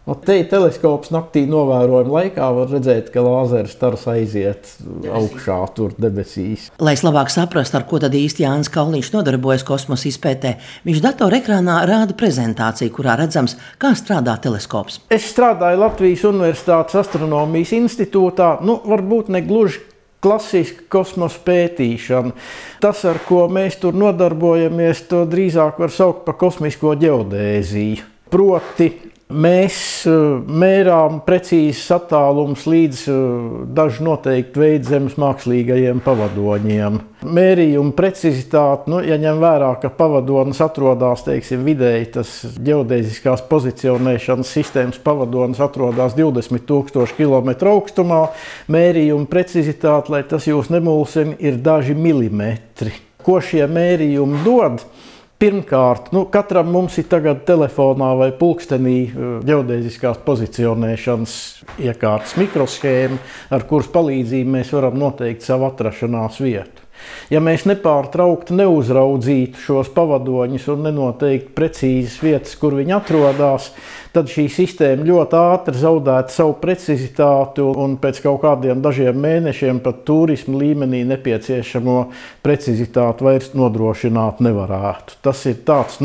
Te teleskops naktī novērojuma laikā var redzēt, ka lāzera stars aiziet augšā tur debesīs. Lai labāk saprastu, ar ko tad īsti Jānis Kauliņš nodarbojas kosmosa izpētē, viņš datorekrānā rāda prezentāciju, kurā redzams, kā strādā teleskops. Es strādāju Latvijas Universitātes astronomijas institūtā, varbūt ne gluži klasiska kosmosa pētīšana. Tas, ar ko mēs tur nodarbojamies, to drīzāk var saukt par kosmisko ģeodēziju. Proti, mēs mērām precīzes attālumus līdz dažu noteiktu veidu zemes mākslīgajiem pavadoņiem. Mērījuma precizitāte, ja ņem vērā, ka pavadonis atrodas, vidēji tas ģeodēziskās pozicionēšanas sistēmas pavadonis atrodas 20,000 km augstumā, mērījuma precizitāte, lai tas jūs nemulsina, ir daži milimetri. Ko šie mērījumi dod? Pirmkārt, katram mums ir tagad telefonā vai pulkstenī ģeodēziskās pozicionēšanas iekārtas mikroshēma, ar kuras palīdzību mēs varam noteikt savu atrašanās vietu. Ja mēs nepārtraukti neuzraudzītu šos pavadoņus un nenoteiktu precīzas vietas, kur viņi atrodas, tad šī sistēma ļoti ātri zaudētu savu precizitāti un pēc kaut kādiem dažiem mēnešiem pat turisma līmenī nepieciešamo precizitāti vairs nodrošināt nevarētu. Tas ir tāds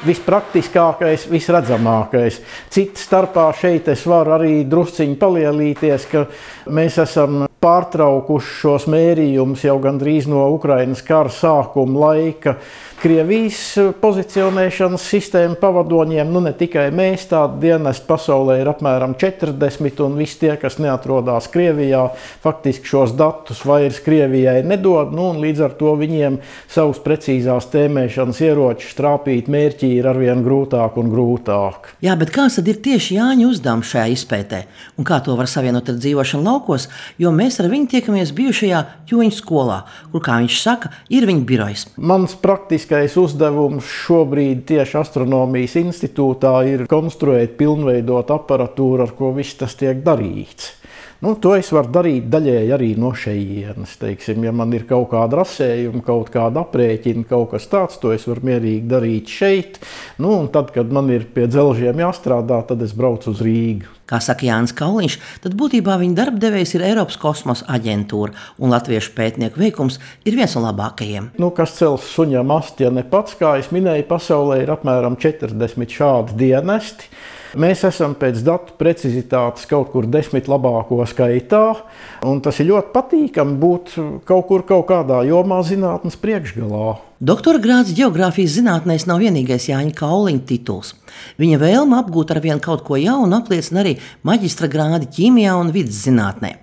vispraktiskākais, visredzamākais. Cita starpā šeit es varu arī drusciņi palielīties, ka mēs esam pārtraukuši šos mērījumus jau gandrīz no Ukrainas kara sākuma laika. Krievijas pozicionēšanas sistēma pavadoņiem, ne tikai mēs, tādi dienesti pasaulē ir apmēram 40, un visi tie, kas neatrodās Krievijā, faktiski šos datus vairs Krievijai nedod, un līdz ar to viņiem savus precīzās tēmēšanas ieročus trāpīt mērķī ir arvien grūtāk un grūtāk. Jā, bet kāds tad ir tieši Jāņa uzdevums šajā izpētē, un kā to var savienot ar dzīvošanu laukos, jo mēs ar viņu tiekamies bijušajā Ķoņu skolā, kur, kā viņš saka, ir viņa birojs. Mans praktiskais uzdevums šobrīd tieši astronomijas institūtā ir konstruēt, pilnveidot aparatūru, ar ko viss tas tiek darīts. To es varu darīt daļēji arī no šejienes. Ja man ir kaut kāda rasējuma, kaut kāda aprēķina, kaut kas tāds, to es varu mierīgi darīt šeit. Un tad, kad man ir pie dzelžiem jāstrādā, tad es braucu uz Rīgu. Kā saka Jānis Kauliņš, tad būtībā viņa darbdevējs ir Eiropas kosmosa aģentūra, un latviešu pētnieku veikums ir viens no labākajiem. Kas cels suņam asti, ja ne pats, kā es minēju, pasaulē ir apmēram 40 šādi dienesti. Mēs esam pēc datu precizitātes kaut kur 10 labāko skaitā, un tas ir ļoti patīkami būt kaut kādā jomā zinātnes priekšgalā. Doktora grāds ģeogrāfijas zinātnēs nav vienīgais Jāņa Kauliņa tituls. Viņa vēlme apgūt arvien kaut ko jaunu apliecina arī maģistra grādi ķīmijā un vides zinātnē.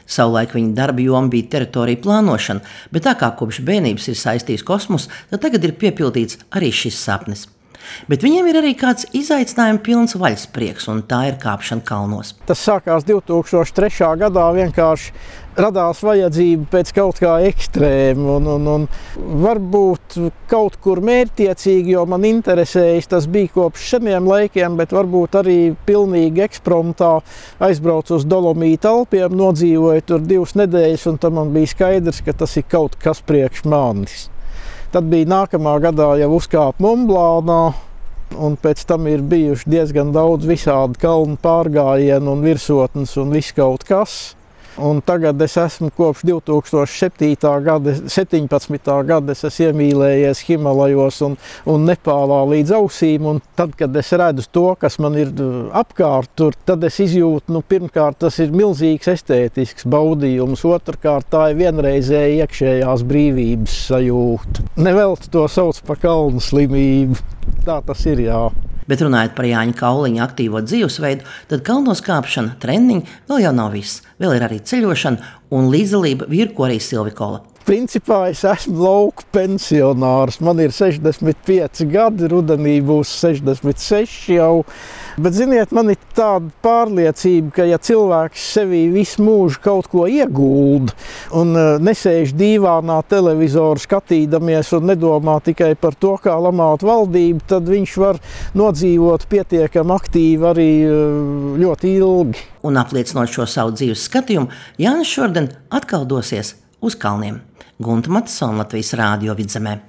Savulaik viņa darba joma bija teritorija plānošana, bet tā kā kopš bērnības ir saistīts kosmos, tad tagad ir piepildīts arī šis sapnis. Bet viņiem ir arī kāds izaicinājuma pilns vaļasprieks, un tā ir kāpšana kalnos. Tas sākās 2003. gadā, vienkārši radās vajadzība pēc kaut kā ekstrēma, un varbūt kaut kur mērķtiecīgi, jo man interesējas, tas bija kopš seniem laikiem, bet varbūt arī pilnīgi ekspromptā aizbraucu uz Dolomīta Alpiem, nodzīvoju tur 2 nedēļas, un tam man bija skaidrs, ka tas ir kaut kas priekš manis. Tad bija nākamā gadā jau uzkāpu Monblānā, un pēc tam ir bijuši diezgan daudz visādi kalnu pārgājienu un virsotnes un viss kaut kas. Un tagad es esmu kopš 2017. gada es esmu iemīlējies Himalajos un Nepālā līdz ausīm. Un tad, kad es redzu to, kas man ir apkārt tur, tad es izjūtu, pirmkārt, tas ir milzīgs estētisks baudījums. Otrkārt, tā ir vienreizēja iekšējās brīvības sajūta. Nevelti to sauc par kalnu slimību. Tā tas ir, jā. Bet runājot par Jāņa Kauliņa aktīvo dzīvesveidu, tad kalnos kāpšana, treniņi vēl jau nav viss. Vēl ir arī ceļošana un līdzdalība vīrkorī Silvikola. Principā es esmu lauku pensionārs. Man ir 65 gadi, rudenī būs 66 jau. Bet, ziniet, man ir tāda pārliecība, ka ja cilvēks sevī visu mūžu kaut ko iegulda un nesēž dīvānā televizoru skatīdamies un nedomā tikai par to, kā lamāt valdību, tad viņš var nodzīvot pietiekami aktīvi arī ļoti ilgi. Un apliecinot šo savu dzīves skatījumu, Jānis šodien atkal dosies uz kalniem. Gunta Matisona, Latvijas Rādio Vidzemē.